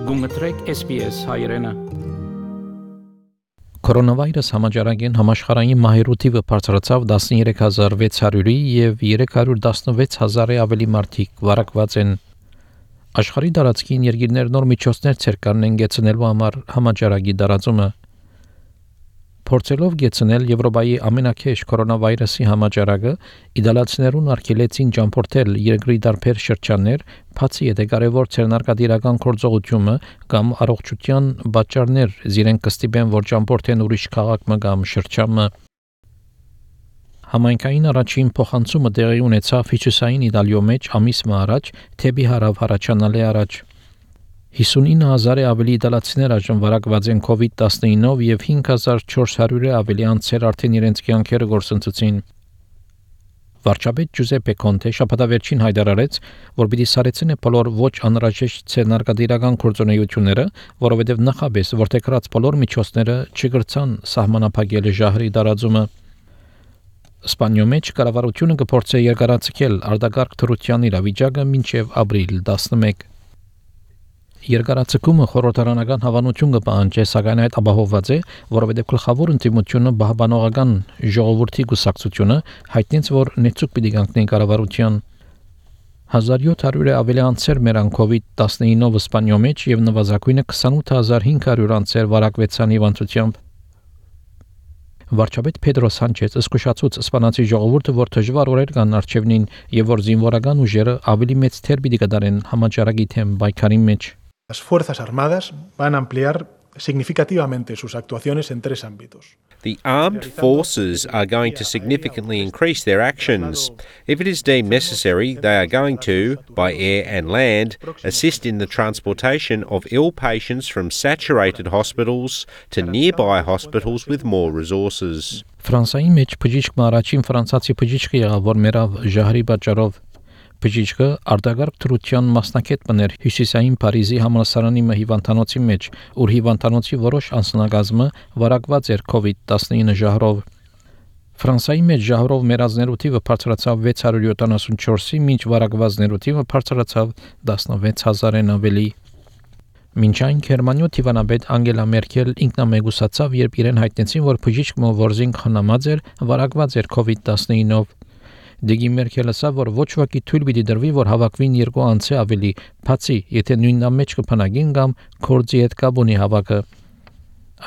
Գումտրեք SPS հայրենը։ Կորոնավիրուս համաճարակին համաշխարհային մահերու թիվը բարձրացավ 13600-ի եւ 316000-ի ավելի մարդիկ վարակված են։ Աշխարհի տարածքին երկիրներ նոր միջոցներ ցերկանեն գեցնելու համար համաճարակի տարածումը։ Փորձելով գեցնել Եվրոպայի ամենակեշ կորոնավիրուսի համաճարակը, իդալացիներուն արգելեցին ճամփորդել երկրի տարբեր շրջաններ, բացի եթե կարևոր ցերնարկադիրական գործողությունը կամ առողջության պատճառներ զիրեն կստիպեն, որ ճամփորդեն ուրիշ քաղաք կամ շրջանը։ Համայնքային առաջին փոխանցումը տեղի ունեցավ Հյուսիսային Իտալիո մեջ ամիս առաջ, թեպի հարավ հառաչանալի առաջ։ 59000-ի ավելի իտալացիներ այժմ վարակված են COVID-19-ով եւ 5400-ի ավելի անձեր արդեն իրենց կյանքերը գործընծեցին։ Վարչապետ Ջուզեպե Կոնտե շաբաթավերջին հայտարարեց, որ պիտի սարեցնե բոլոր ոչ անհրաժեշտ ցերնարկադիրական գործունեությունները, որովհետեւ նախաբես որտեղած բոլոր միջոցները չգրցան սահմանափակել ժահրի տարածումը։ Իսպանիո մեջ կառավարությունը կփորձի երկարացնել արտակարգ թռության իրավիճակը մինչև ապրիլ 11։ Երկարացումը խորհրդարանական հավանություն կպահանջի, սակայն այդ ապահովված է, որովհետև գլխավոր ընդդիմությունը բահբանողական ժողովրդի կուսակցությունը հայտնեց, որ նեցուկ պիտի կանգնի կառավարության 1700-ը ավելի անձեր մերան COVID-19-ով Իսպանիո մեջ եւ նվազագույնը 28500 անձեր վարակվեցան հիվանդությամբ։ Վարչապետ Պեդրո Սանչեզ զսկուշացուց իսպանացի ժողովուրդը, որ դժվար օրեր կան արչևնին եւ որ զինվորական ուժերը ավելի մեծ թեր պիտի կդարեն համաճարակի թեմ բայկարի մեջ։ Las Fuerzas Armadas van a ampliar significativamente sus actuaciones en 3 ámbitos. The armed forces are going to significantly increase their actions. If it is deemed necessary, they are going to, by air and land, assist in the transportation of ill patients from saturated hospitals to nearby hospitals with more resources. Ֆրանսիայի մեջ բժիշկ առաջին ֆրանսացի բժիշկը եղավ, որ մեռավ ժահրի պատճառով։ Բժիշկը արտակարգ թռության մասնակետ բներ Հյուսիսային Փարիզի համալսարանի հիվանդանոցի մեջ, ուր հիվանդանոցի որոշ անձնակազմը վարակված էր COVID-19 ժահրով։ Ֆրանսիայի մեջ ժահրով մեռածներու թիվը բարձրացավ 674-ի, մինչ վարակվածներու թիվը բարձրացավ 16000-ն ավելի։ Մինչ այն Գերմանիո թիվանաբեդ Անգելա Մերկել ինքնամեգուսացավ, երբ իրեն հայտնեցին, որ բժիշկը որզին խնամած էր, վարակված էր COVID-19-ով։ Դեգի Մերկելը ասավ, որ ոչ ոքի թույլ պիտի դրվի, որ հավաքվին երկու անձի ավելի, բացի եթե նույն ամեջ կփնագին կամ կորձի հետ կապ ունի հավաքը։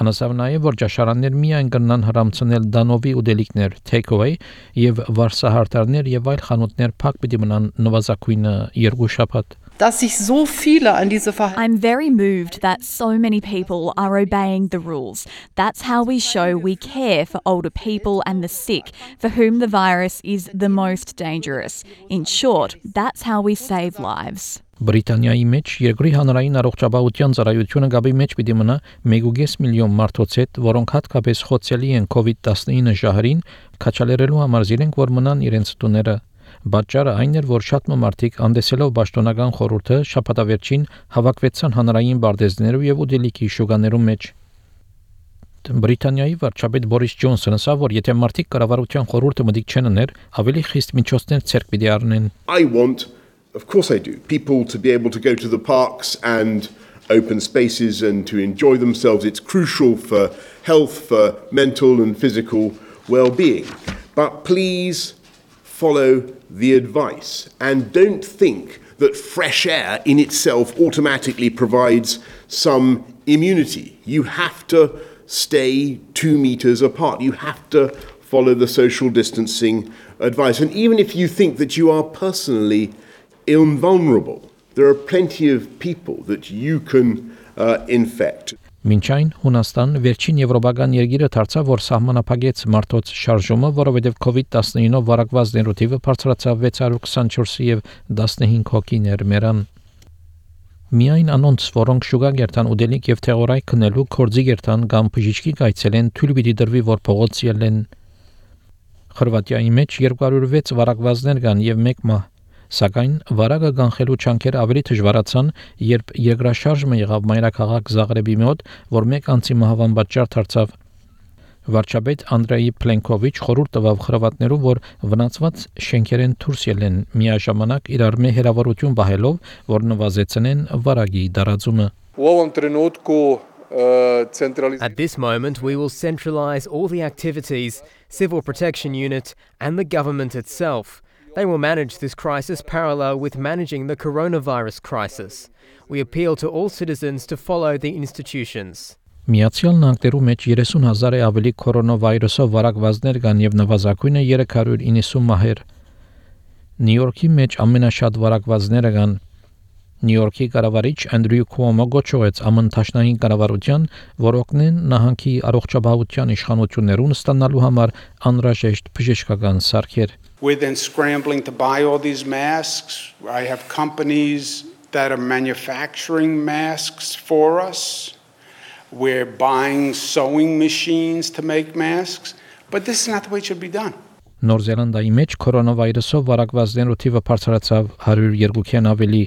Անասավ նաև, որ ճաշարաններ միայն կնան հրամցնել դանովի ուտելիքներ, take-away եւ վարսահարդարներ եւ այլ խանութներ փակ պիտի մնան նվազագույնը 2 շաբաթ։ I'm very moved that so many people are obeying the rules. That's how we show we care for older people and the sick, for whom the virus is the most dangerous. In short, that's how we save lives. Բրիտանիայի մեջ երկրի հանրային առողջապահության ծառայությունը գաբի մեջ պիտի մնա 1.5 միլիոն մարդոց հետ, որոնք հատկապես խոցելի են COVID-19 ժահրին, քաչալերելու համար զիրենք, որ մնան իրենց տուները։ Պատճառը այն էր, որ շատ մարդիկ անդեսելով պաշտոնական խորհուրդը շաբաթավերջին հավաքվեցան հանրային բարձեզներով եւ ուտելիքի շուկաներու մեջ։ Բրիտանիայի վարչապետ Բորիս Ջոնսոնը ասավ, որ եթե մարդիկ կառավարության խորհուրդը մտիկ չեն ուներ, ավելի խիստ միջոցներ ցերկ պիտի առնեն։ I want, of course I do, people to be able to go to the parks and open spaces and to enjoy themselves. It's crucial for health, for mental and physical well-being. But please follow the advice and don't think that fresh air in itself automatically provides some immunity. You have to stay 2 meters apart. You have to follow the social distancing advice. And even if you think that you are personally invulnerable, there are plenty of people that you can infect. Մինչ այն Հունաստան վերջին եվրոպական երկիրը դարձավ, որ սահմանափակեց մարդոց շարժումը, որովհետև COVID-19-ով վարակվածներու թիվը բարձրացավ 624-ի եւ 15 հոգիներ մեռան։ Միայն անոնց, որոնք շուկա գերտան ուտելիք եւ թեղորայք քնելու կորձի գերտան կամ բժիշկի գայցել են, թույլ պիտի դրվի, որ փողոց ելեն։ Խորվաթիայի մեջ 206 վարակվածներ կան եւ 1 մահ։ Սակայն վարակը կանխելու չանքերը ավելի դժվարացան, երբ երկրաշարժը եղավ մայրաքաղաք Զագրեբի մոտ, որ 1 անձի մահվան պատճառ դարձավ։ Վարչապետ Անդրեյ Պլենկովիչ խորհուրդ տվավ խրվատներու, որ վնասված շենքերեն դուրս ելեն, միաժամանակ իրար մե հերավորություն բահելով, որ նվազեցնեն վարակի դարածումը։ At this moment, we will centralise all the activities, civil protection unit and the government itself. They will manage this crisis parallel with managing the coronavirus crisis. We appeal to all citizens to follow the institutions. Միացյալ Նահանգներու մեջ 30,000-ը ավելի կորոնավիրուսով վարակվածներ կան եւ նվազագույնը 390 մահեր։ Նյու Յորքի մեջ ամենաշատ վարակվածները կան։ Նյու Յորքի կառավարիչ Անդրյու Քուոմո գոչեց ԱՄՆ Թաշնային կառավարության, որ օգնեն նահանգի առողջապահության իշխանություններուն ստանալու համար անհրաժեշտ բժշկական սարքեր։ We're then scrambling to buy all these masks. I have companies that are manufacturing masks for us. We're buying sewing machines to make masks. But this is not the way it should be done. Նոր Զելանդիայի մեջ կորոնավիրուսով վարակվածներու թիվը բարձրացավ 102-ին ավելի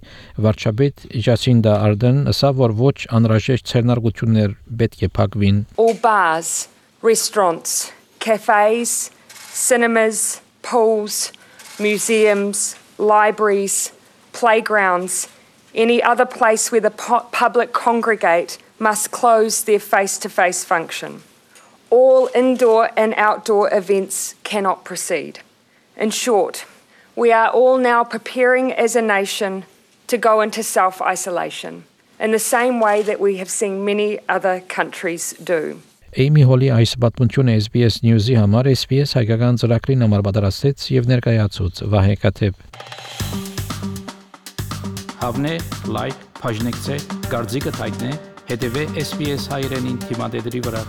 վարչապետ Ջասինդա Արդեն ասավ, որ ոչ անհրաժեշտ ցերնարգություններ պետք է փակվին։ All bars, restaurants, cafes, cinemas, pools, museums, libraries, playgrounds, any other place where the public congregate must close their face-to-face function. All indoor and outdoor events cannot proceed. In short, we are all now preparing as a nation to go into self-isolation in the same way that we have seen many other countries do. Էյմի Հոլի այս պատմությունը SBS News-ի համար SBS հայկական ծրագրին համար պատրաստեց եւ ներկայացուց Վահե Կաթեփ։ Հավնե, լայք, բաժնեկցե, դարձիկը թայտնե, հետեւե SBS հայրենին թիմադեդի վրա։